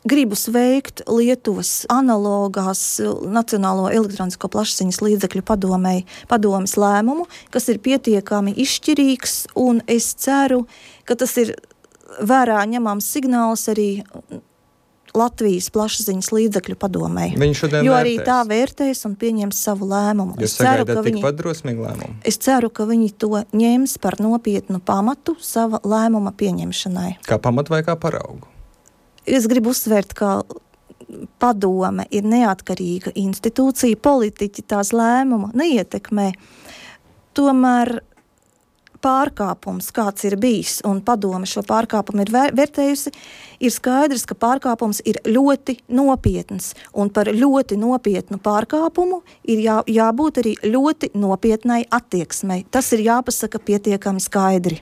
gribu sveikt Lietuvas analogās Nacionālo elektronisko plašsaziņas līdzekļu padomes lēmumu, kas ir pietiekami izšķirīgs, un es ceru, ka tas ir vērā ņemams signāls arī Latvijas plašsaziņas līdzekļu padomei. Viņi šodien jo vērtēs. Arī tā vērtēs un pieņems savu lēmumu. Jūs sagaidat tikpat drosmīgu lēmumu? Es ceru, ka viņi to ņems par nopietnu pamatu sava lēmuma pieņemšanai. Kā pamatu vai kā paraugu? Es gribu uzsvērt, ka padome ir neatkarīga institūcija, politiķi tās lēmumu neietekmē. Tomēr pārkāpums, kāds ir bijis, un padome šo pārkāpumu ir vērtējusi, ir skaidrs, ka pārkāpums ir ļoti nopietns, un par ļoti nopietnu pārkāpumu ir jābūt arī ļoti nopietnai attieksmei. Tas ir jāpasaka pietiekami skaidri.